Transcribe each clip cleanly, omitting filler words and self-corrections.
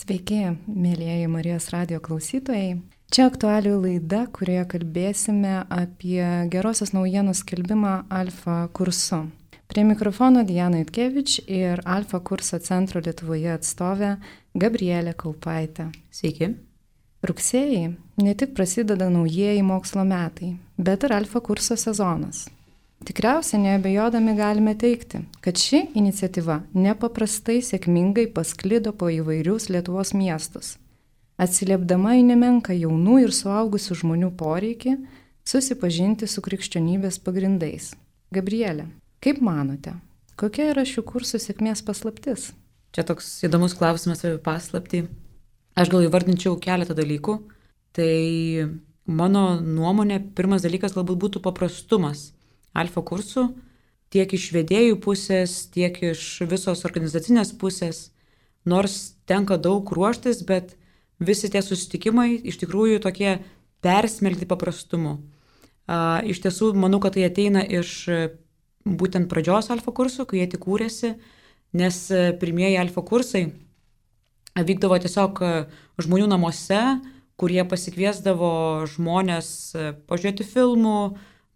Sveiki, mėlyjeji Marijos radijo klausytojai. Čia aktualių laida, kurioje kalbėsime apie gerosios naujienos skelbimą Alfa kursu. Prie mikrofono Diana Itkevič ir Alfa kurso centro Lietuvoje atstovė Gabrielė Kaupaitė. Sveiki. Rugsėjį ne tik prasideda naujieji mokslo metai, bet ir Alfa kurso sezonas. Tikriausiai neabejodami galime teigti, kad ši iniciatyva nepaprastai sėkmingai pasklido po įvairius Lietuvos miestus, atsiliepdama į nemenką jaunų ir suaugusių žmonių poreikį susipažinti su krikščionybės pagrindais. Gabrielė, kaip manote, kokia yra šių kursų sėkmės paslaptis? Čia toks įdomus klausimas apie paslaptį. Aš gal įvardinčiau keletą dalykų. Tai mano nuomonė, pirmas dalykas galbūt būtų paprastumas Alfa kursų, tiek iš vedėjų pusės, tiek iš visos organizacinės pusės. Nors tenka daug ruoštis, bet visi tie susitikimai iš tikrųjų tokie persmelkti paprastumu. Iš tiesų, manau, kad tai ateina iš būtent pradžios Alfa kursų, kai jie tik kūrėsi, nes pirmieji Alfa kursai vykdavo tiesiog žmonių namuose, kurie pasikviesdavo žmonės pažiūrėti filmų,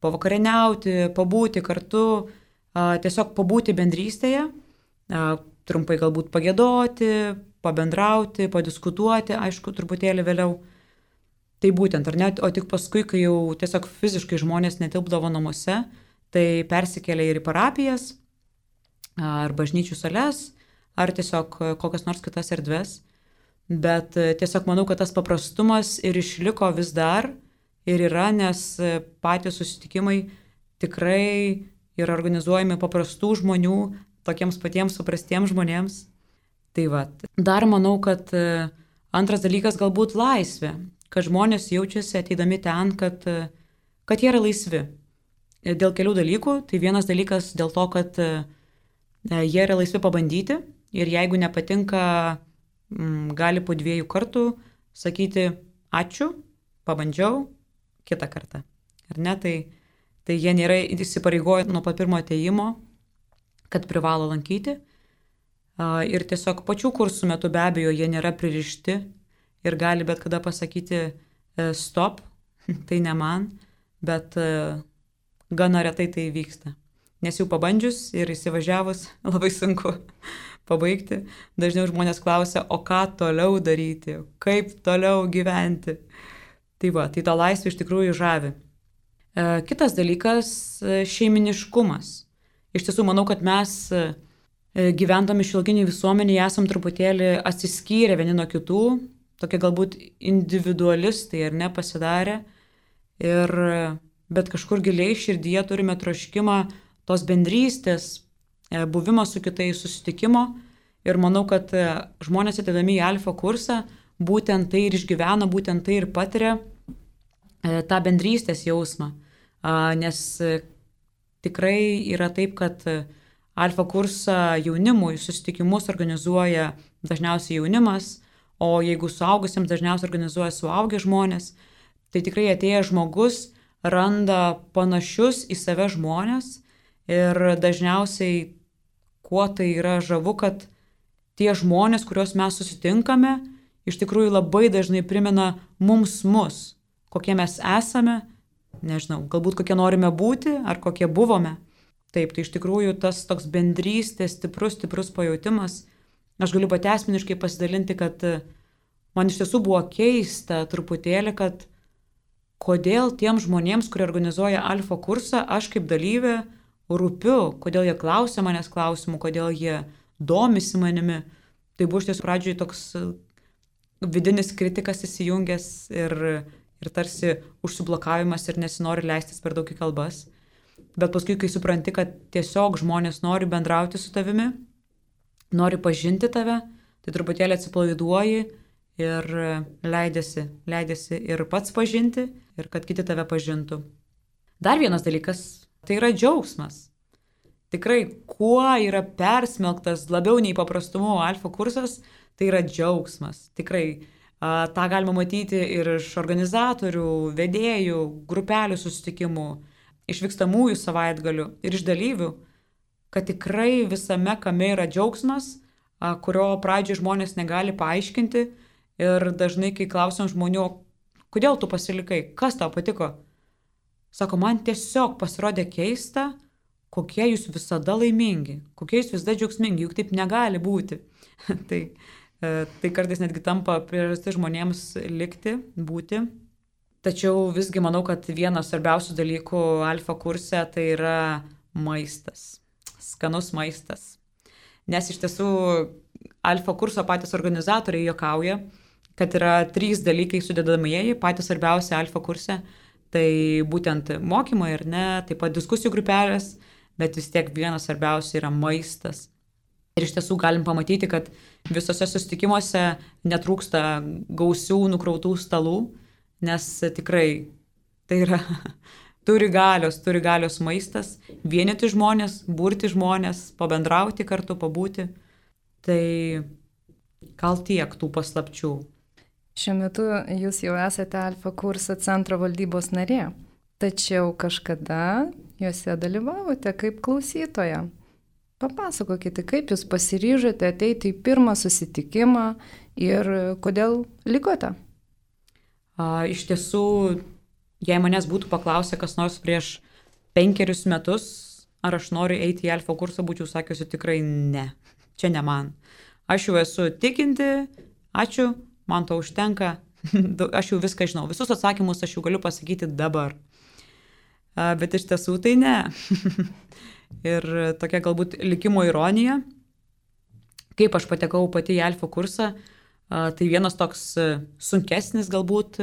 pavakarieniauti, pabūti kartu, tiesiog pabūti bendrystėje, trumpai galbūt pagėdoti, pabendrauti, padiskutuoti, aišku, truputėlį vėliau. Tai būtent, ar ne, o tik paskui, kai jau tiesiog fiziškai žmonės netilpdavo namuose, tai persikėlė ir į parapijas, ar bažnyčių sales, ar tiesiog kokias nors kitas erdves. Bet tiesiog manau, kad tas paprastumas ir išliko vis dar, ir yra, nes patys susitikimai tikrai yra organizuojami paprastų žmonių, tokiems patiems suprastiems žmonėms. Tai va. Dar manau, kad antras dalykas galbūt laisvė, kad žmonės jaučiasi ateidami ten, kad jie yra laisvi. Dėl kelių dalykų. Tai vienas dalykas dėl to, kad jie yra laisvi pabandyti ir jeigu nepatinka, gali po 2 kartų sakyti ačiū, pabandžiau, kitą kartą. Ar ne? Tai jie nėra įsipareigoję nuo pat pirmo atėjimo, kad privalo lankyti. Ir tiesiog pačių kursų metu be abejo jie nėra pririšti ir gali bet kada pasakyti stop, tai ne man, bet gana retai tai vyksta. Nes jau pabandžius ir įsivažiavus labai sunku pabaigti. Dažniau žmonės klausia, o ką toliau daryti, kaip toliau gyventi. Tai va, tai ta laisvė iš tikrųjų žavi. Kitas dalykas - šeiminiškumas. Iš tiesų, manau, kad mes gyvendami šiuolaikiniai visuomenėje esam truputėlį atsiskyrę vieni nuo kitų, tokie galbūt individualistai ar ne pasidarę, bet kažkur giliai širdyje turime troškimą tos bendrystės, buvimo su kitais, susitikimo. Ir manau, kad žmonės ateidami į Alfa kursą būtent tai ir išgyvena, būtent tai ir patiria tą bendrystės jausmą. Nes tikrai yra taip, kad Alfa kursą jaunimui susitikimus organizuoja dažniausiai jaunimas, o jeigu suaugusiems dažniausiai organizuoja suaugę žmonės, tai tikrai atėjęs žmogus randa panašius į save žmonės ir dažniausiai kuo tai yra žavu, kad tie žmonės, kuriuos mes susitinkame, iš tikrųjų labai dažnai primena mus, kokie mes esame, nežinau, galbūt kokie norime būti ar kokie buvome. Taip, tai iš tikrųjų tas toks bendrystės stiprus pajautimas. Aš galiu pati asmeniškai pasidalinti, kad man iš tiesų buvo keista truputėlį, kad kodėl tiems žmonėms, kurie organizuoja Alfa kursą, aš kaip dalyvė rūpiu, kodėl jie klausia manęs klausimų, kodėl jie domisi manimi. Tai buvo iš tiesų pradžioje toks vidinis kritikas įsijungęs ir tarsi užsiblokavimas ir nesinori leistis per daug į kalbas. Bet paskui, kai supranti, kad tiesiog žmonės nori bendrauti su tavimi, nori pažinti tave, tai truputėlį atsipalaiduoji ir leidėsi ir pats pažinti, ir kad kiti tave pažintų. Dar vienas dalykas, tai yra džiaugsmas. Tikrai, kuo yra persmelktas labiau nei paprastumo Alfa kursas, tai yra džiaugsmas. Tikrai, tą galima matyti ir iš organizatorių, vedėjų, grupelių susitikimų, iš vykstamųjų savaitgalių ir iš dalyvių, kad tikrai visame kame yra džiaugsmas, kurio pradžioje žmonės negali paaiškinti ir dažnai, kai klausom žmonių, kodėl tu pasilikai, kas tau patiko, sako, man tiesiog pasirodė keista, kokie jūs visada laimingi, kokie jūs visada džiaugsmingi, juk taip negali būti. tai kartais netgi tampa priežastis žmonėms likti, būti. Tačiau visgi manau, kad vienas svarbiausių dalykų alfa kurse tai yra maistas, skanus maistas. Nes iš tiesų alfa kurso patys organizatoriai juokauja, kad yra 3 dalykai sudedamieji, patys svarbiausia alfa kurse. Tai būtent mokymai ir ne, taip pat diskusijų grupelės, bet vis tiek vienas svarbiausia yra maistas. Ir iš tiesų galim pamatyti, kad visose susitikimuose netrūksta gausių nukrautų stalų, nes tikrai tai yra turi galios maistas, vienyti žmonės, burti žmonės, pabendrauti kartu, pabūti. Tai gal tiek tų paslapčių. Šiuo metu jūs jau esate Alfa kurso centro valdybos narė, tačiau kažkada juose dalyvavote kaip klausytoja. Papasakokite, kaip jūs pasiryžote ateiti į pirmą susitikimą ir kodėl likote? Iš tiesų, jei manęs būtų paklausę kas nors prieš 5 metus, ar aš noriu eiti į Alfa kursą, būčiau sakiusi tikrai ne. Čia ne man. Aš jau esu tikinti, ačiū. Man to užtenka, aš jau viską žinau, visus atsakymus aš jau galiu pasakyti dabar. Bet iš tiesų tai ne. Ir tokia galbūt likimo ironija, kaip aš patekau pati į Alfa kursą, tai vienas toks sunkesnis galbūt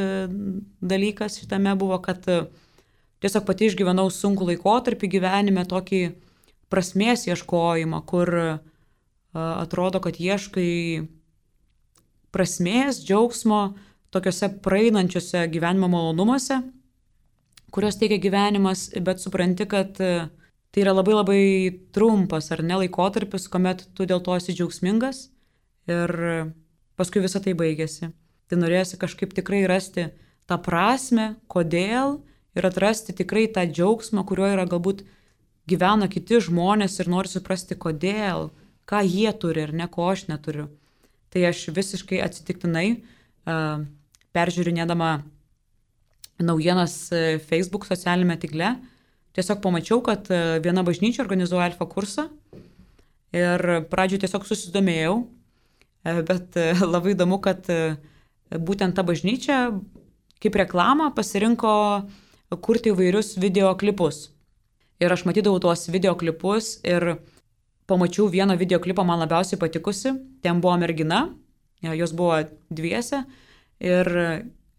dalykas šitame buvo, kad tiesiog pati išgyvenau sunkų laikotarpį gyvenime, tokį prasmės ieškojimą, kur atrodo, kad ieškai prasmės, džiaugsmo, tokiuose praeinančiuose gyvenimo malonumuose, kurios teikia gyvenimas, bet supranti, kad tai yra labai labai trumpas ar ne laikotarpis, kuomet tu dėl to esi džiaugsmingas ir paskui visą tai baigėsi. Tai norėjosi kažkaip tikrai rasti tą prasmę, kodėl ir atrasti tikrai tą džiaugsmą, kuriuo yra galbūt gyvena kiti žmonės ir nori suprasti, kodėl, ką jie turi ir ne ko aš neturiu. Tai aš visiškai atsitiktinai, peržiūrinėdama naujienas Facebook socialinėme tinkle, tiesiog pamačiau, kad viena bažnyčia organizuoja Alfa kursą ir pradžioje tiesiog susidomėjau, bet labai įdomu, kad būtent ta bažnyčia kaip reklamą pasirinko kurti įvairius videoklipus. Ir aš matydavau tuos videoklipus ir pamačiau vieną videoklipą man labiausiai patikusi. Ten buvo mergina, jos buvo dviese ir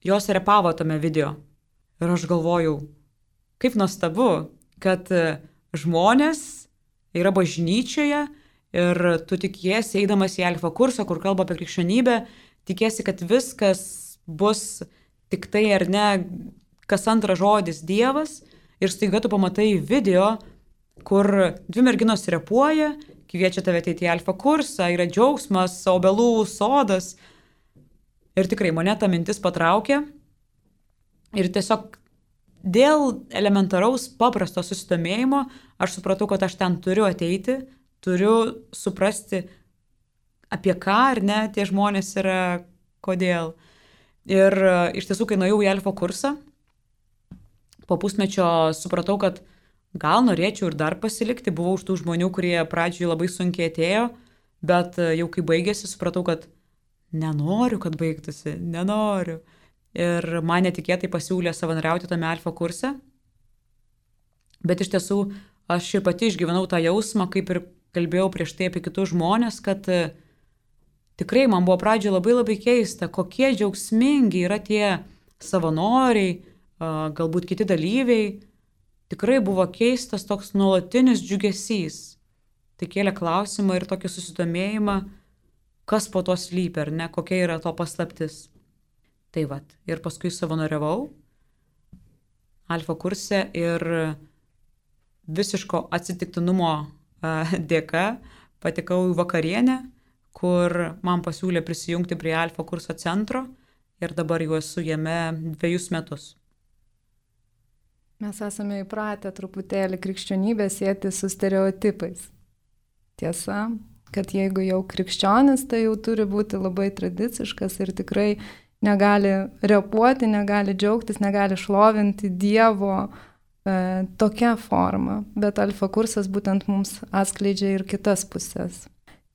jos repavo tame video. Ir aš galvojau, kaip nuostabu, kad žmonės yra bažnyčioje ir tu tikiesi, eidamas į Alfa kursą, kur kalba apie krikščionybę, tikiesi, kad viskas bus tik tai ar ne, kas antras žodis Dievas ir staiga tu pamatai video, kur 2 merginos repuoja, kviečia tave ateiti į Alfa kursą, yra džiaugsmas, obelų sodas. Ir tikrai mane ta mintis patraukė. Ir tiesiog dėl elementaraus paprasto susidomėjimo aš supratau, kad aš ten turiu ateiti, turiu suprasti, apie ką ar ne tie žmonės yra, kodėl. Ir iš tiesų, kai nuėjau į Alfa kursą, po pusmečio supratau, kad gal norėčiau ir dar pasilikti, buvau už tų žmonių, kurie pradžioje labai sunkiai atėjo, bet jau kai baigėsi, supratau, kad nenoriu, kad baigtųsi, nenoriu. Ir man netikėtai pasiūlė savanoriauti tame Alfa kurse, bet iš tiesų aš ir pati išgyvenau tą jausmą, kaip ir kalbėjau prieš tai apie kitus žmonės, kad tikrai man buvo pradžioje labai labai keista, kokie džiaugsmingi yra tie savanoriai, galbūt kiti dalyviai. Tikrai buvo keistas toks nuolatinis džiugesys. Tai kėlė klausimą ir tokį susidomėjimą, kas po to slypi, ar ne, kokia yra to paslaptis. Tai vat, ir paskui savanoriavau Alfa kurse ir visiško atsitiktinumo dėka patekau į vakarienę, kur man pasiūlė prisijungti prie Alfa kurso centro ir dabar jau esu jame 2 metus. Mes esame įpratę truputėlį krikščionybę sieti su stereotipais. Tiesa, kad jeigu jau krikščionis, tai jau turi būti labai tradiciškas ir tikrai negali repuoti, negali džiaugtis, negali šlovinti Dievo tokia forma. Bet alfa kursas būtent mums atskleidžia ir kitas pusės.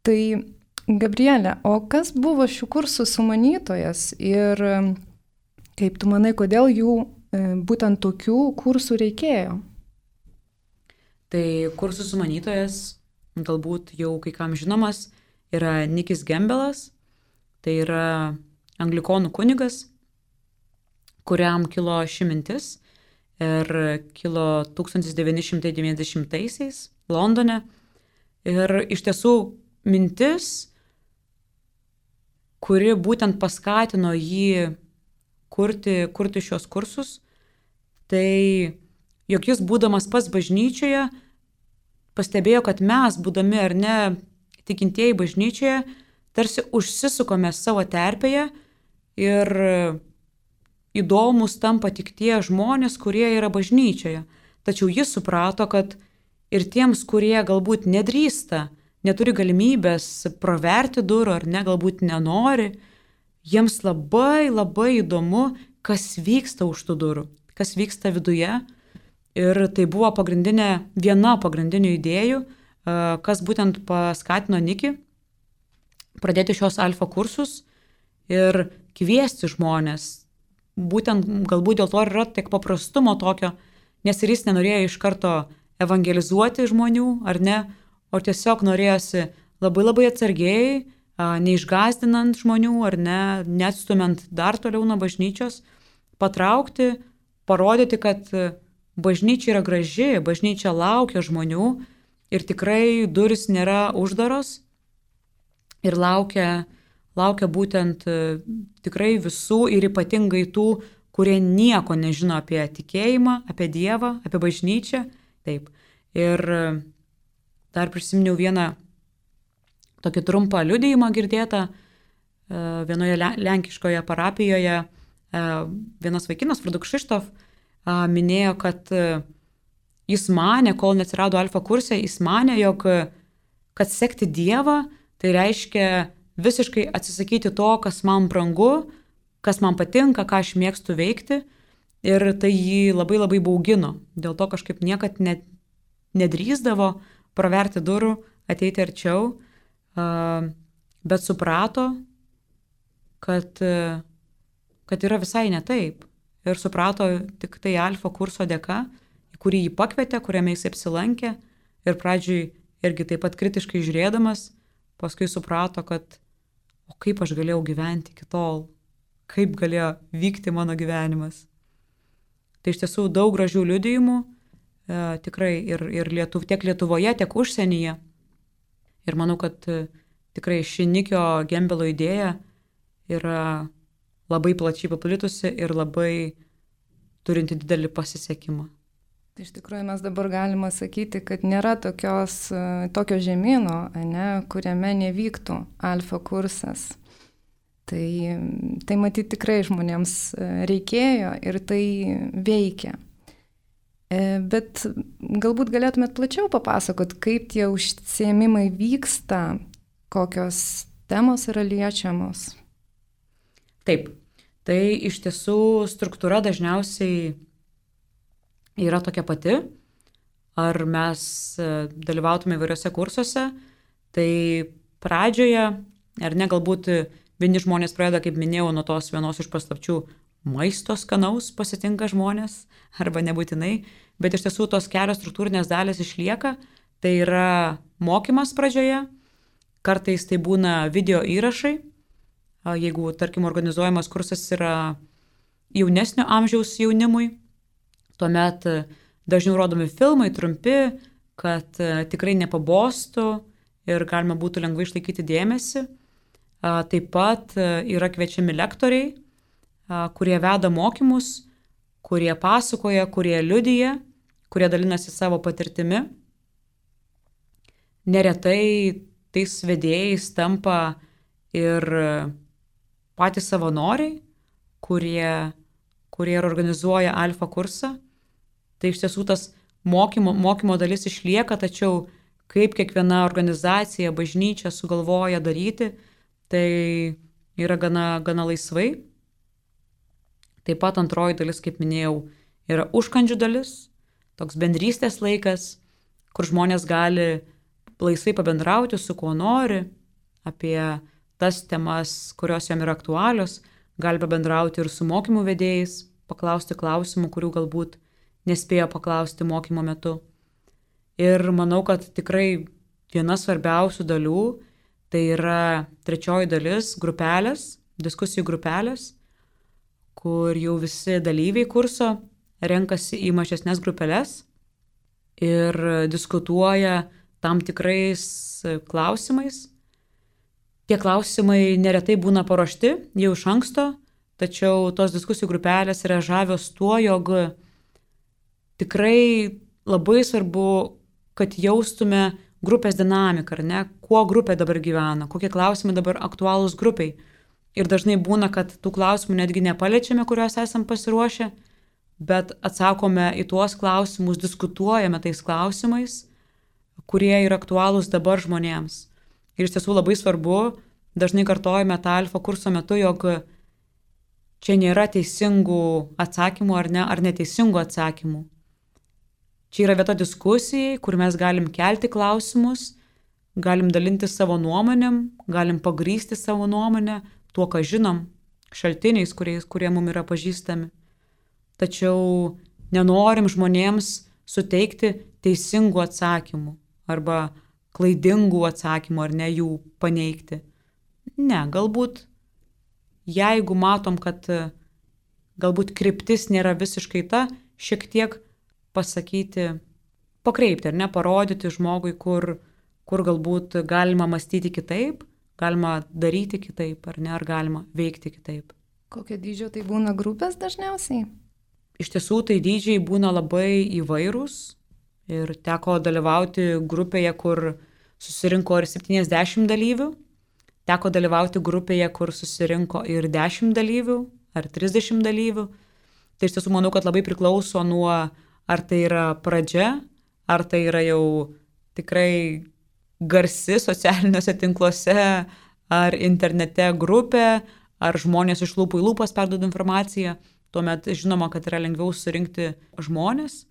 Tai Gabrielė, o kas buvo šių kursų sumanytojas ir kaip tu manai, kodėl jų būtent tokių kursų reikėjo? Tai kursų sumanytojas, galbūt jau kai kam žinomas, yra Nikis Gembelas, tai yra anglikonų kunigas, kuriam kilo ši mintis ir kilo 1990-aisiais Londone. Ir iš tiesų mintis, kuri būtent paskatino jį kurti šios kursus, tai jog jis būdamas pats bažnyčioje pastebėjo, kad mes, būdami ar ne tikintieji bažnyčioje, tarsi užsisukome savo terpėje ir įdomus tampa tik tie žmonės, kurie yra bažnyčioje. Tačiau jis suprato, kad ir tiems, kurie galbūt nedrįsta, neturi galimybės praverti durų ar ne, galbūt nenori, jiems labai labai įdomu, kas vyksta už tų durų, kas vyksta viduje. Ir tai buvo viena pagrindinių idėjų, kas būtent paskatino Nikį pradėti šios alfa kursus ir kviesti žmonės. Būtent galbūt dėl to yra tiek paprastumo tokio, nes ir jis nenorėjo iš karto evangelizuoti žmonių, ar ne, o tiesiog norėjosi labai labai atsargiai, neišgąsdinant žmonių, ar ne, neatstumiant dar toliau nuo bažnyčios, patraukti, parodyti, kad bažnyčia yra graži, bažnyčia laukia žmonių ir tikrai durys nėra uždaros ir laukia būtent tikrai visų ir ypatingai tų, kurie nieko nežino apie tikėjimą, apie Dievą, apie bažnyčią. Taip. Ir dar prisiminiau vieną tokį trumpą liudijimą girdėtą vienoje lenkiškoje parapijoje. Vienas vaikinas, vardu Krzysztof, minėjo, kad jis manė, kol neatsirado alfa kurse, jis manė, jog kad sekti Dievą, tai reiškia visiškai atsisakyti to, kas man brangu, kas man patinka, ką aš mėgstu veikti. Ir tai jį labai labai baugino. Dėl to kažkaip niekad nedrįsdavo praverti durų, ateiti arčiau, bet suprato, kad yra visai ne taip. Ir suprato tik tai alfa kurso dėka, į kurį jį pakvietė, kuriame jis apsilankė. Ir pradžiui irgi taip pat kritiškai žiūrėdamas, paskui suprato, kad o kaip aš galėjau gyventi iki tol, kaip galėjo vykti mano gyvenimas. Tai iš tiesų daug gražių liudijimų, tikrai ir tiek Lietuvoje, tiek užsienyje. Ir manau, kad tikrai ši Nikio Gembelo idėja yra labai plačiai paplitusi ir labai turinti didelį pasisekimą. Tai iš tikrųjų mes dabar galima sakyti, kad nėra tokio žemyno, ne, kuriame nevyktų alfa kursas. Tai matyti tikrai žmonėms reikėjo ir tai veikia. Bet galbūt galėtumėt plačiau papasakot, kaip tie užsiėmimai vyksta, kokios temos yra liečiamos. Taip, tai iš tiesų struktūra dažniausiai yra tokia pati. Ar mes dalyvautume įvairiose kursuose, tai pradžioje, ar ne, galbūt vieni žmonės pradeda, kaip minėjau, nuo tos vienos iš paslapčių maisto skanaus pasitinka žmonės, arba nebūtinai, bet iš tiesų tos kelios struktūrinės dalys išlieka. Tai yra mokymas pradžioje, kartais tai būna video įrašai, jeigu, tarkim, organizuojamas kursas yra jaunesnio amžiaus jaunimui, tuomet dažniau rodomi filmai trumpi, kad tikrai nepabostų ir galima būtų lengvai išlaikyti dėmesį. Taip pat yra kviečiami lektoriai, kurie veda mokymus, kurie pasakoja, kurie liudija, kurie dalinasi savo patirtimi. Neretai tais vedėjais tampa ir patys savanoriai, kurie organizuoja alfa kursą. Tai iš tiesų tas mokymo dalis išlieka, tačiau kaip kiekviena organizacija, bažnyčia sugalvoja daryti, tai yra gana laisvai. Taip pat antroji dalis, kaip minėjau, yra užkandžių dalis, toks bendrystės laikas, kur žmonės gali laisvai pabendrauti su kuo nori apie tas temas, kurios jam yra aktualios, gali pabendrauti ir su mokymų vedėjais, paklausti klausimų, kurių galbūt nespėjo paklausti mokymo metu. Ir manau, kad tikrai viena svarbiausių dalių tai yra trečioji dalis – grupelės, diskusijų grupelės, kur jau visi dalyviai kurso renkasi į mažesnes grupelės ir diskutuoja tam tikrais klausimais. Tie klausimai neretai būna paruošti jau iš anksto, tačiau tos diskusijų grupelės yra žavios tuo, jog tikrai labai svarbu, kad jaustume grupės dinamiką, ar ne, kuo grupė dabar gyvena, kokie klausimai dabar aktualūs grupiai. Ir dažnai būna, kad tų klausimų netgi nepaliečiame, kuriuos esam pasiruošę, bet atsakome į tuos klausimus, diskutuojame tais klausimais, kurie yra aktualūs dabar žmonėms. Ir iš tiesų labai svarbu, dažnai kartojame tą alfa kurso metu, jog čia nėra teisingų atsakymų ar neteisingų atsakymų. Čia yra vieta diskusijai, kur mes galim kelti klausimus, galim dalinti savo nuomonėm, galim pagrįsti savo nuomonę, tuo, ką žinom, šaltiniais, kurie mums yra pažįstami. Tačiau nenorim žmonėms suteikti teisingų atsakymų arba klaidingų atsakymų ar ne jų paneigti. Ne, galbūt jeigu matom, kad galbūt kryptis nėra visiškai ta, šiek tiek pasakyti, pakreipti ar ne, parodyti žmogui, kur galbūt galima mąstyti kitaip, galima daryti kitaip ar ne, ar galima veikti kitaip. Kokio dydžio tai būna grupės dažniausiai? Iš tiesų tai dydžiai būna labai įvairūs ir teko dalyvauti grupėje, kur susirinko ir 70 dalyvių, teko dalyvauti grupėje, kur susirinko ir 10 dalyvių ar 30 dalyvių. Tai iš tiesų manau, kad labai priklauso nuo, ar tai yra pradžia, ar tai yra jau tikrai garsi socialiniuose tinkluose, ar internete grupė, ar žmonės iš lūpų į lūpas perduoda informaciją. Tuomet žinoma, kad yra lengviau surinkti žmonės.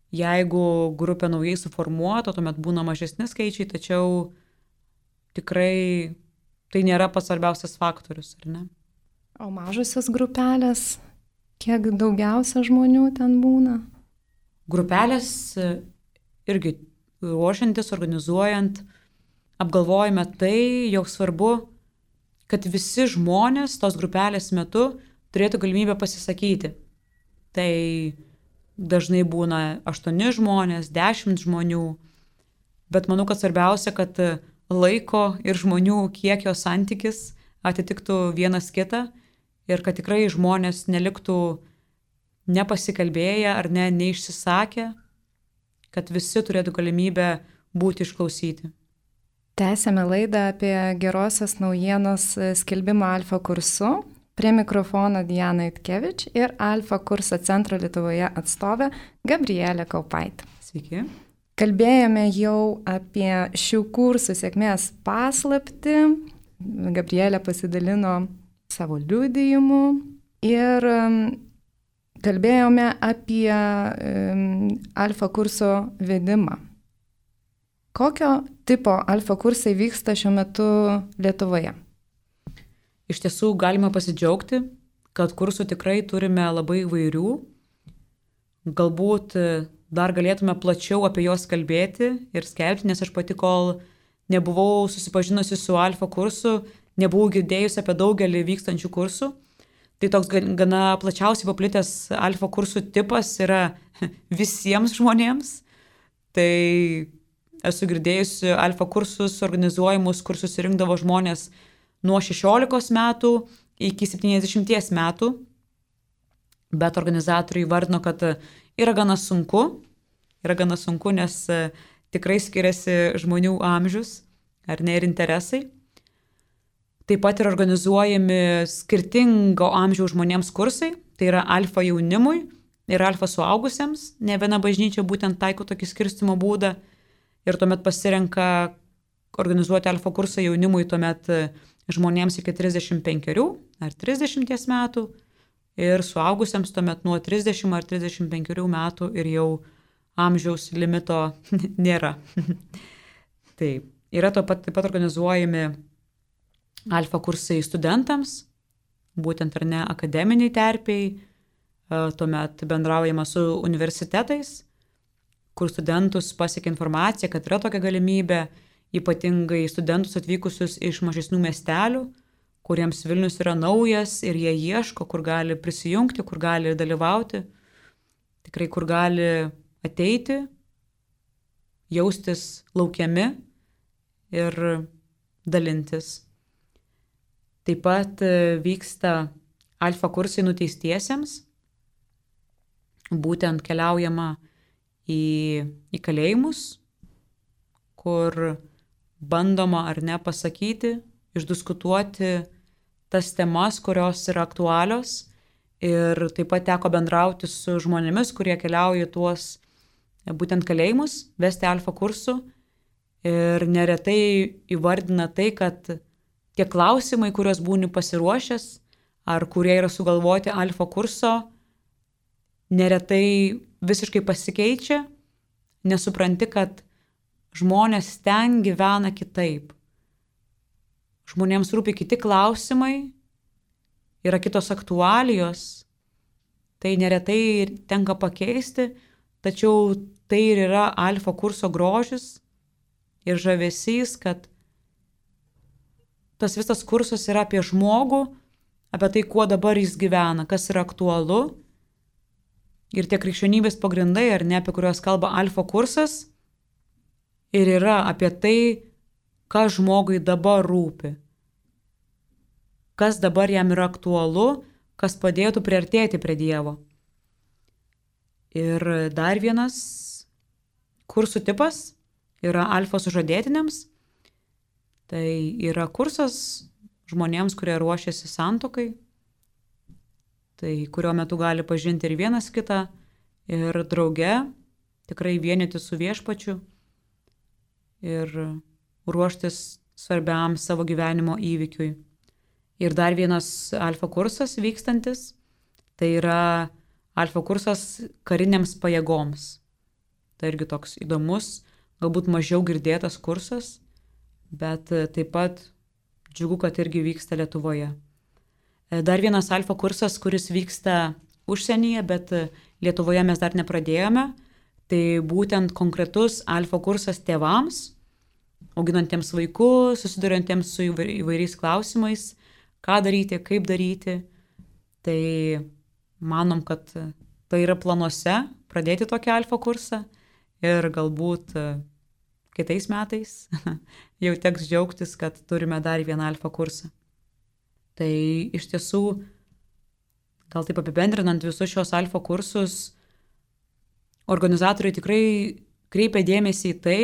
Jeigu grupė naujai suformuota, tuomet būna mažesni skaičiai, tačiau tikrai tai nėra pats svarbiausias faktorius, ar ne? O mažosios grupelės, kiek daugiausia žmonių ten būna? Grupelės irgi ruošiantis, organizuojant, apgalvojame tai, jog svarbu, kad visi žmonės tos grupelės metu turėtų galimybę pasisakyti. Tai dažnai būna 8 žmonės, 10 žmonių, bet manau, kad svarbiausia, kad laiko ir žmonių kiekio santykis atitiktų vienas kitą ir kad tikrai žmonės neliktų nepasikalbėję ar neišsisakę, kad visi turėtų galimybę būti išklausyti. Tęsėme laidą apie gerosios naujienos skelbimą Alfa kursu. Prie mikrofono Diana Itkevič ir Alfa kurso centro Lietuvoje atstovė Gabrielė Kaupaitė. Sveiki. Kalbėjome jau apie šių kursų sėkmės paslaptį. Gabrielė pasidalino savo liudijimu ir kalbėjome apie alfa kurso vedimą. Kokio tipo alfa kursai vyksta šiuo metu Lietuvoje? Iš tiesų galime pasidžiaugti, kad kursų tikrai turime labai įvairių. Galbūt dar galėtume plačiau apie juos kalbėti ir skelbti, nes aš pati, kol nebuvau susipažinusi su alfa kursu, nebuvau girdėjusi apie daugelį vykstančių kursų. Tai toks gana plačiausiai paplitęs alfa kursų tipas yra visiems žmonėms. Tai esu girdėjusi alfa kursus organizuojamus, kur susirinkdavo žmonės nuo 16 metų iki 70 metų. Bet organizatoriai vardino, kad yra gana sunku, nes tikrai skiriasi žmonių amžius ar ne ir interesai. Taip pat yra organizuojami skirtingo amžiaus žmonėms kursai, tai yra alfa jaunimui ir alfa suaugusiems. Ne viena bažnyčia būtent taiko tokį skirstymo būdą. ir tuomet pasirenka organizuoti alfa kursą jaunimui tuomet žmonėms iki 35 ar 30 metų ir suaugusiems tuomet nuo 30 ar 35 metų ir jau amžiaus limito nėra. Taip, yra taip pat organizuojami alfa kursai studentams, būtent ar ne akademiniai terpiai, tuomet bendraujama su universitetais, kur studentus pasiekia informacija, kad yra tokia galimybė, ypatingai studentus atvykusius iš mažesnių miestelių, kuriems Vilnius yra naujas ir jie ieško, kur gali prisijungti, kur gali dalyvauti, tikrai kur gali ateiti, jaustis laukiami ir dalintis. Taip pat vyksta alfa kursai nuteistiesiems, būtent keliaujama į kalėjimus, kur bandoma ar ne pasakyti, išdiskutuoti tas temas, kurios yra aktualios. Ir taip pat teko bendrauti su žmonėmis, kurie keliauja tuos būtent kalėjimus, vesti alfa kursų. Ir neretai įvardina tai, kad tie klausimai, kuriuos būni pasiruošęs, ar kurie yra sugalvoti alfa kurso, neretai visiškai pasikeičia, nesupranti, kad žmonės ten gyvena kitaip. Žmonėms rūpi kiti klausimai, yra kitos aktualijos, tai neretai tenka pakeisti, tačiau tai ir yra alfa kurso grožis ir žavesys, kad tas visas kursas yra apie žmogų, apie tai, kuo dabar jis gyvena, kas yra aktualu. Ir tie krikščionybės pagrindai, ar ne, apie kuriuos kalba alfa kursas, ir yra apie tai, kas žmogui dabar rūpi. Kas dabar jam yra aktualu, kas padėtų priartėti prie Dievo. Ir dar vienas kursų tipas yra alfa sužadėtiniams. Tai yra kursas žmonėms, kurie ruošiasi santuokai, tai kurio metu gali pažinti ir vienas kitą, ir drauge tikrai vienyti su Viešpačiu ir ruoštis svarbiam savo gyvenimo įvykiui. Ir dar vienas alfa kursas vykstantis, tai yra alfa kursas kariniams pajėgoms. Tai irgi toks įdomus, galbūt mažiau girdėtas kursas, bet taip pat džiugu, kad irgi vyksta Lietuvoje. Dar vienas alfa kursas, kuris vyksta užsienyje, bet Lietuvoje mes dar nepradėjome, tai būtent konkretus alfa kursas tėvams, auginantiems vaikus, susiduriantiems su įvairiais klausimais, ką daryti, kaip daryti. Tai manom, kad tai yra planuose pradėti tokį alfa kursą ir galbūt kitais metais jau teks džiaugtis, kad turime dar vieną alfa kursą. Tai iš tiesų, gal taip apibendrinant visus šios alfa kursus, organizatoriai tikrai kreipia dėmesį į tai,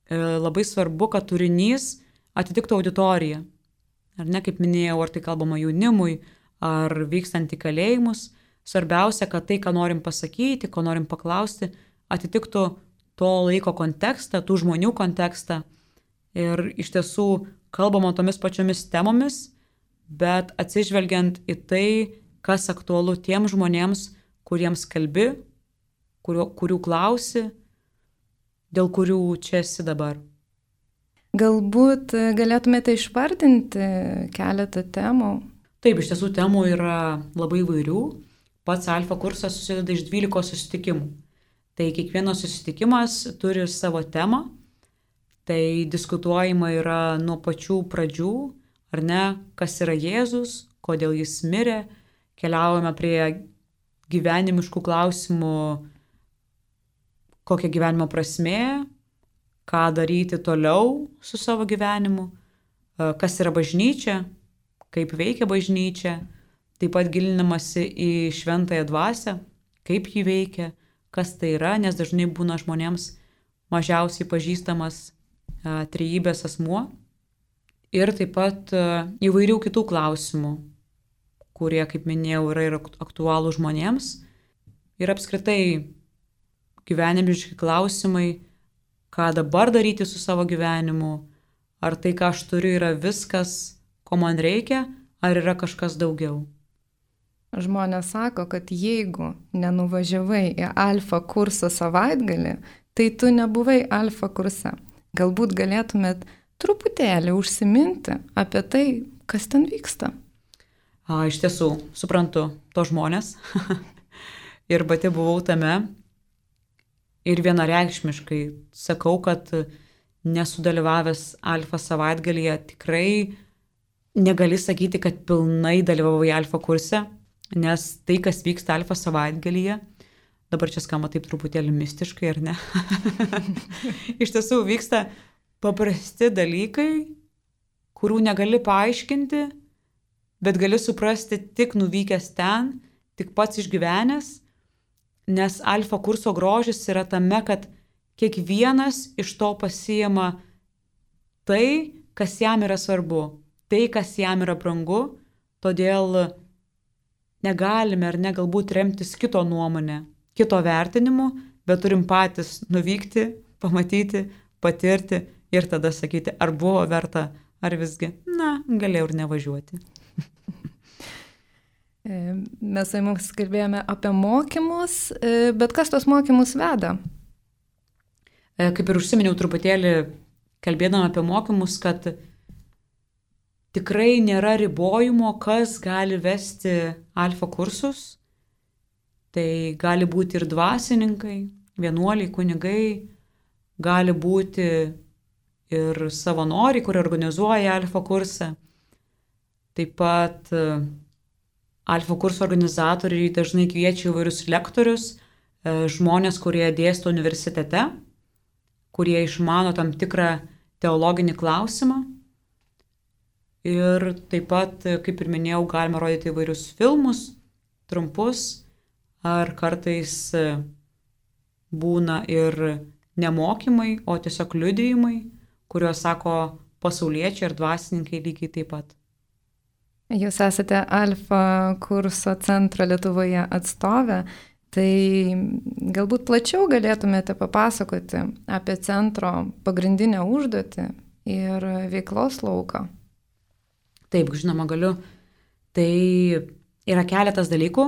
labai svarbu, kad turinys atitiktų auditoriją. Ar ne, kaip minėjau, ar tai kalbama jaunimui, ar vykstant į kalėjimus. Svarbiausia, kad tai, ką norim pasakyti, ko norim paklausti, atitiktų to laiko kontekstą, tų žmonių kontekstą. Ir iš tiesų kalbama tomis pačiomis temomis, bet atsižvelgiant į tai, kas aktualu tiems žmonėms, kuriems kalbi, kurių klausi, dėl kurių čia esi dabar. Galbūt galėtumėte išvardinti keletą temų? Taip, iš tiesų temų yra labai įvairių. Pats alfa kursas susideda iš 12 susitikimų. Tai kiekvienas susitikimas turi savo temą. Tai diskutuojama yra nuo pačių pradžių, ar ne, kas yra Jėzus, kodėl jis mirė. Keliaujame prie gyvenimiškų klausimų, kokia gyvenimo prasmė, ką daryti toliau su savo gyvenimu, kas yra bažnyčia, kaip veikia bažnyčia, taip pat gilinamasi į šventąją dvasią, kaip ji veikia, kas tai yra, nes dažnai būna žmonėms mažiausiai pažįstamas trejybės asmuo. Ir taip pat įvairių kitų klausimų, kurie, kaip minėjau, yra ir aktualų žmonėms. Ir apskritai gyvenimiški klausimai, ką dabar daryti su savo gyvenimu, ar tai, ką aš turiu, yra viskas, ko man reikia, ar yra kažkas daugiau. Žmonės sako, kad jeigu nenuvažiavai į alfa kursą savaitgalį, tai tu nebuvai alfa kurse. Galbūt galėtumėt truputėlį užsiminti apie tai, kas ten vyksta. Iš tiesų, suprantu to žmonės ir pati buvau tame ir vienareikšmiškai sakau, kad nesudalyvavęs alfa savaitgalyje tikrai negali sakyti, kad pilnai dalyvavai alfa kurse, nes tai, kas vyksta alfa savaitgalyje, dabar čia skamba taip truputėlį mistiškai, ar ne? Iš tiesų vyksta paprasti dalykai, kurių negali paaiškinti, bet gali suprasti tik nuvykęs ten, tik pats išgyvenęs, nes alfa kurso grožis yra tame, kad kiekvienas iš to pasiima tai, kas jam yra svarbu, tai, kas jam yra brangu, todėl negalime ar ne galbūt remtis kito nuomonę, kito vertinimu, bet turim patys nuvykti, pamatyti, patirti ir tada sakyti, ar buvo verta, ar visgi, galėjau ir nevažiuoti. Mes su jumis kalbėjome apie mokymus, bet kas tos mokymus veda? Kaip ir užsiminiau truputėlį, kalbėdama apie mokymus, kad tikrai nėra ribojimo, kas gali vesti alfa kursus. Tai gali būti ir dvasininkai, vienuoliai, kunigai, gali būti ir savanoriai, kurie organizuoja alfa kursą. Taip pat alfa kurso organizatoriai dažnai kviečia įvairius lektorius, žmonės, kurie dėsto universitete, kurie išmano tam tikrą teologinį klausimą. Ir taip pat, kaip ir minėjau, galima rodyti įvairius filmus, trumpus, ar kartais būna ir nemokymai, o tiesiog liudijimai, kuriuos sako pasauliečiai ir dvasininkai lygiai taip pat. Jūs esate alfa kurso centro Lietuvoje atstovė, tai galbūt plačiau galėtumėte papasakoti apie centro pagrindinę užduotį ir veiklos lauką. Taip, žinoma, galiu. Tai yra keletas dalykų,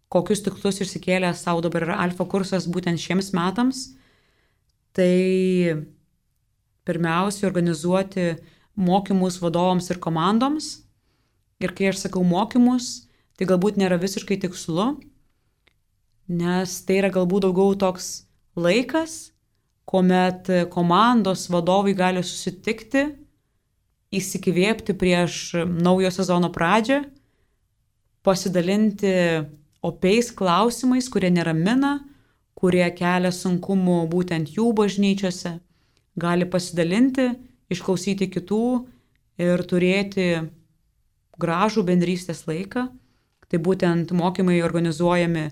kokius tikslus išsikėlė savo dabar yra alfa kursas būtent šiems metams. Tai pirmiausia, organizuoti mokymus vadovams ir komandoms. Ir kai aš sakau mokymus, tai galbūt nėra visiškai tikslu, nes tai yra galbūt daugiau toks laikas, kuomet komandos vadovai gali susitikti, įsikvėpti prieš naujo sezono pradžią, pasidalinti opiais klausimais, kurie neramina, kurie kelia sunkumų būtent jų bažnyčiose, gali pasidalinti, išklausyti kitų ir turėti gražų bendrystės laiką. Tai būtent mokymai organizuojami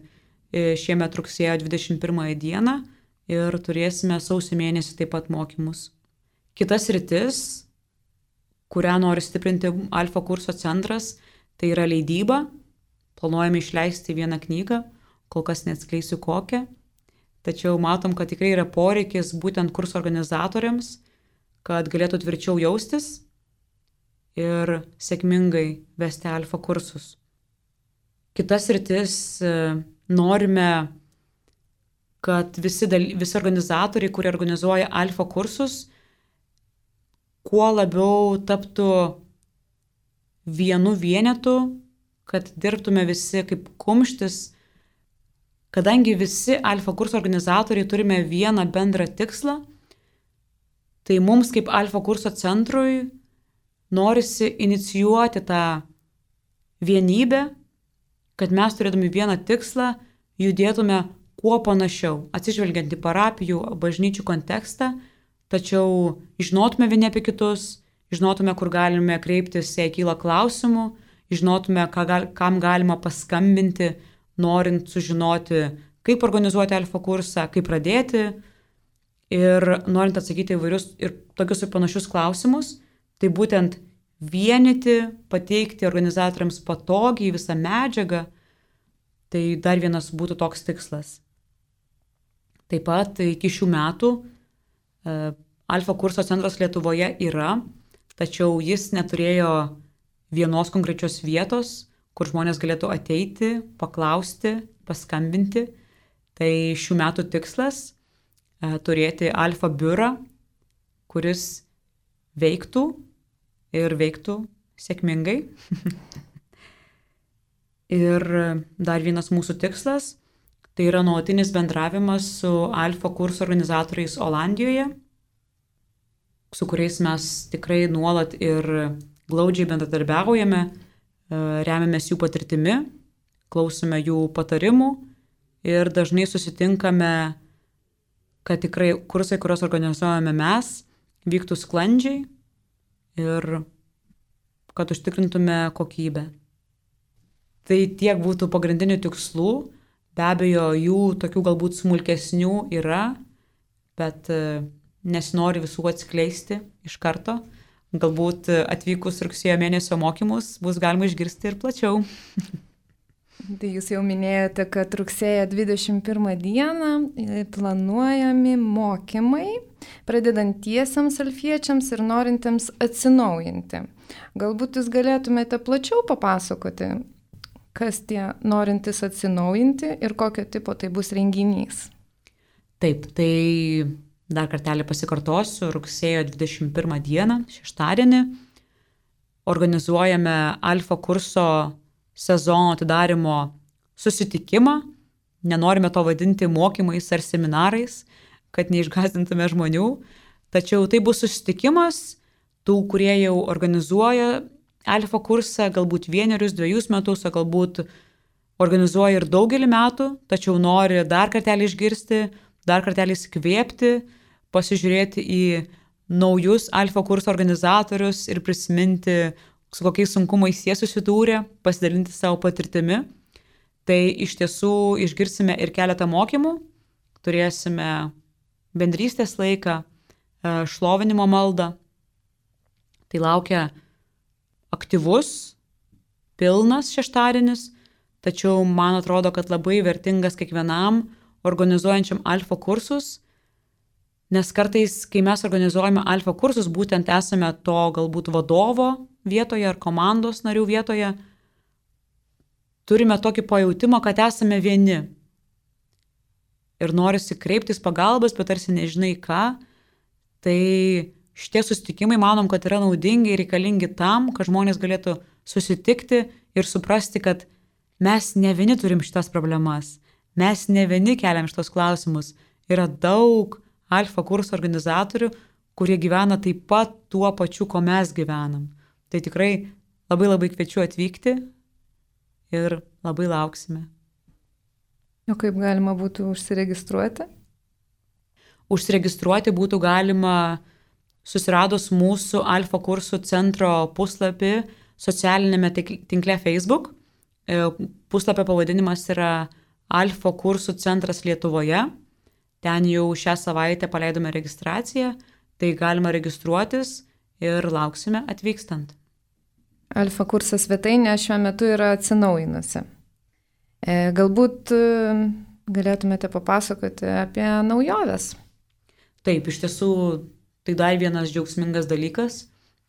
šiemet rugsėjo 21 dieną ir turėsime sausio mėnesį taip pat mokymus. Kitas sritis, kurią nori stiprinti alfa kurso centras, tai yra leidyba. Planuojame išleisti vieną knygą, kol kas neatskleisiu kokią. Tačiau matom, kad tikrai yra poreikis būtent kurso organizatoriams, kad galėtų tvirčiau jaustis ir sėkmingai vesti alfa kursus. Kitas sritis, norime, kad visi organizatoriai, kurie organizuoja alfa kursus, kuo labiau taptų vienu vienetu, kad dirbtume visi kaip kumštis, kadangi visi alfa kurso organizatoriai turime vieną bendrą tikslą, tai mums kaip alfa kurso centrui norisi inicijuoti tą vienybę, kad mes turėdami vieną tikslą judėtume kuo panašiau, atsižvelgiant į parapijų, bažnyčių kontekstą, tačiau žinotume vieni apie kitus, žinotume, kur galime kreiptis, jei kyla klausimų, žinotume, kam galima paskambinti, norint sužinoti, kaip organizuoti alfa kursą, kaip pradėti ir norint atsakyti įvairius ir tokius ir panašius klausimus. Tai būtent vienyti, pateikti organizatoriams patogiai visą medžiagą, tai dar vienas būtų toks tikslas. Taip pat iki šių metų Alfa kurso centras Lietuvoje yra, tačiau jis neturėjo vienos konkrečios vietos, kur žmonės galėtų ateiti, paklausti, paskambinti. Tai šių metų tikslas turėti Alfa biurą, kuris veiktų ir veiktų sėkmingai. Ir dar vienas mūsų tikslas – tai yra nuolatinis bendravimas su Alfa kurso organizatoriais Olandijoje, su kuriais mes tikrai nuolat ir glaudžiai bendradarbiaujame, remiamės jų patirtimi, klausome jų patarimų ir dažnai susitinkame, kad tikrai kursai, kuriuos organizuojame mes, vyktų sklandžiai ir kad užtikrintume kokybę. Tai tiek būtų pagrindinių tikslų, be abejo, jų tokių galbūt smulkesnių yra, bet nesinori visų atskleisti iš karto. Galbūt atvykus rugsėjo mėnesio mokymus bus galima išgirsti ir plačiau. Tai jūs jau minėjote, kad rugsėjo 21 dieną planuojami mokymai pradedantiesiems alfiečiams ir norintiems atsinaujinti. Galbūt jūs galėtumėte plačiau papasakoti, kas tie norintys atsinaujinti ir kokio tipo tai bus renginys. Taip, tai dar kartelį pasikartosiu, rugsėjo 21 dieną, šeštadienį, organizuojame Alfa kurso sezono atidarimo susitikimą. Nenorime to vadinti mokymais ar seminarais, kad neišgąsdintume žmonių. Tačiau tai bus susitikimas tų, kurie jau organizuoja Alfa kursą, galbūt 1-2 metus, o galbūt organizuoja ir daugelį metų, tačiau nori dar kartelį išgirsti, dar kartelį įsikvėpti, pasižiūrėti į naujus Alfa kurso organizatorius ir prisiminti, su kokiais sunkumais jie susidūrė, pasidalinti savo patirtimi. Tai iš tiesų išgirsime ir keletą mokymų, turėsime bendrystės laiką, šlovinimo maldą. Tai laukia aktyvus, pilnas šeštadienis, tačiau man atrodo, kad labai vertingas kiekvienam organizuojančiam Alfa kursus, nes kartais, kai mes organizuojame Alfa kursus, būtent esame to galbūt vadovo vietoje ar komandos narių vietoje, turime tokį pajautimą, kad esame vieni. Ir norisi kreiptis pagalbas, bet tarsi nežinai ką. Tai šitie susitikimai, manom, kad yra naudingi ir reikalingi tam, kad žmonės galėtų susitikti ir suprasti, kad mes ne vieni turim šitas problemas, mes ne vieni keliam šitos klausimus. Yra daug Alfa kurso organizatorių, kurie gyvena taip pat tuo pačiu, ko mes gyvenam. Tai tikrai labai labai kviečiu atvykti ir labai lauksime. O kaip galima būtų užsiregistruoti? Užsiregistruoti būtų galima susiradus mūsų Alfa kursų centro puslapį socialinėme tinkle Facebook. Puslapio pavadinimas yra Alfa kursų centras Lietuvoje. Ten jau šią savaitę paleidome registraciją, tai galima registruotis ir lauksime atvykstant. Alfa kurso svetainė šiuo metu yra atsinaujinusi. Galbūt galėtumėte papasakoti apie naujoves? Taip, iš tiesų tai dar vienas džiaugsmingas dalykas,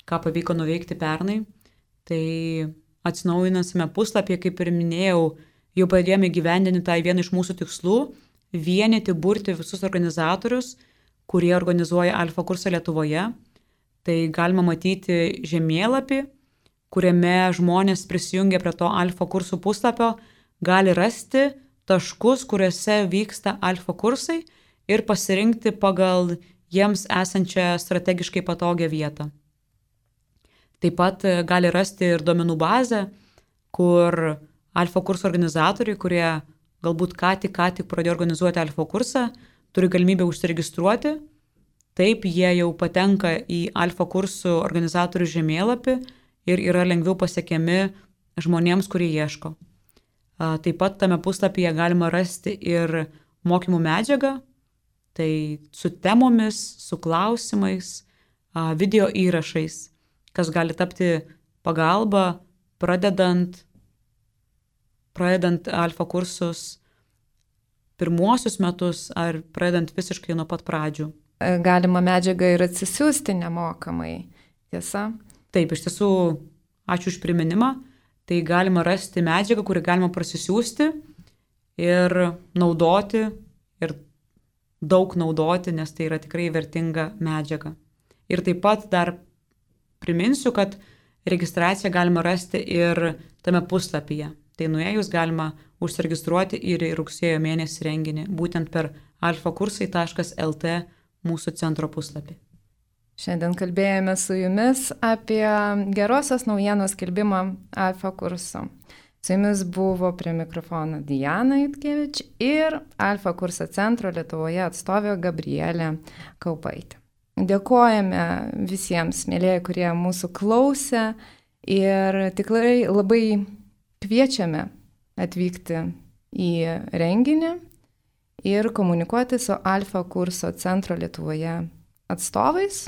ką pavyko nuveikti pernai. Tai atsinaujinusiame puslapyje, kaip ir minėjau, jau pradėjome įgyvendinti tą vieną iš mūsų tikslų – vienyti, burti visus organizatorius, kurie organizuoja Alfa kursą Lietuvoje. Tai galima matyti žemėlapį, kuriame žmonės prisijungia prie to Alfa kursų puslapio, gali rasti taškus, kuriuose vyksta Alfa kursai ir pasirinkti pagal jiems esančią strategiškai patogią vietą. Taip pat gali rasti ir duomenų bazę, kur Alfa kursų organizatoriai, kurie galbūt ką tik pradėjo organizuoti Alfa kursą, turi galimybę užsiregistruoti. Taip, jie jau patenka į Alfa kursų organizatorių žemėlapį ir yra lengviau pasiekiami žmonėms, kurie ieško. Taip pat tame puslapyje galima rasti ir mokymų medžiagą, tai su temomis, su klausimais, video įrašais, kas gali tapti pagalba pradedant Alfa kursus pirmuosius metus ar pradedant visiškai nuo pat pradžių. galima medžiagą ir atsisiųsti nemokamai. Tiesa? Taip, iš tiesų, ačiū už priminimą. Tai galima rasti medžiagą, kurį galima prasisiųsti ir naudoti, ir daug naudoti, nes tai yra tikrai vertinga medžiaga. Ir taip pat dar priminsiu, kad registraciją galima rasti ir tame puslapyje. Tai nuėjus galima užsiregistruoti ir į rugsėjo mėnesį renginį, būtent per alfakursai.lt mūsų centro puslapį. Šiandien kalbėjome su jumis apie gerosios naujienos skelbimą Alfa kurso. Su jumis buvo prie mikrofono Diana Jutkevič ir Alfa kurso centro Lietuvoje atstovė Gabrielė Kaupaitė. Dėkojame visiems, mėlyjeji, kurie mūsų klausė ir tikrai labai kviečiame atvykti į renginį ir komunikuoti su Alfa kurso centro Lietuvoje atstovais.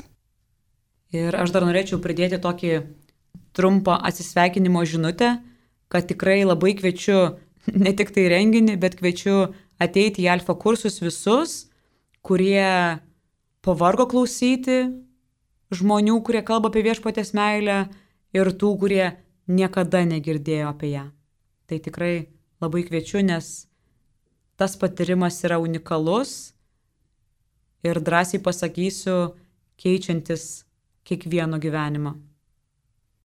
Ir aš dar norėčiau pridėti tokį trumpą atsisveikinimo žinutę, kad tikrai labai kviečiu ne tik tai renginį, bet kviečiu ateiti į Alfa kursus visus, kurie pavargo klausyti žmonių, kurie kalba apie viešpaties meilę ir tų, kurie niekada negirdėjo apie ją. Tai tikrai labai kviečiu, nes tas patyrimas yra unikalus ir drąsiai pasakysiu, keičiantis kiekvieno gyvenimą.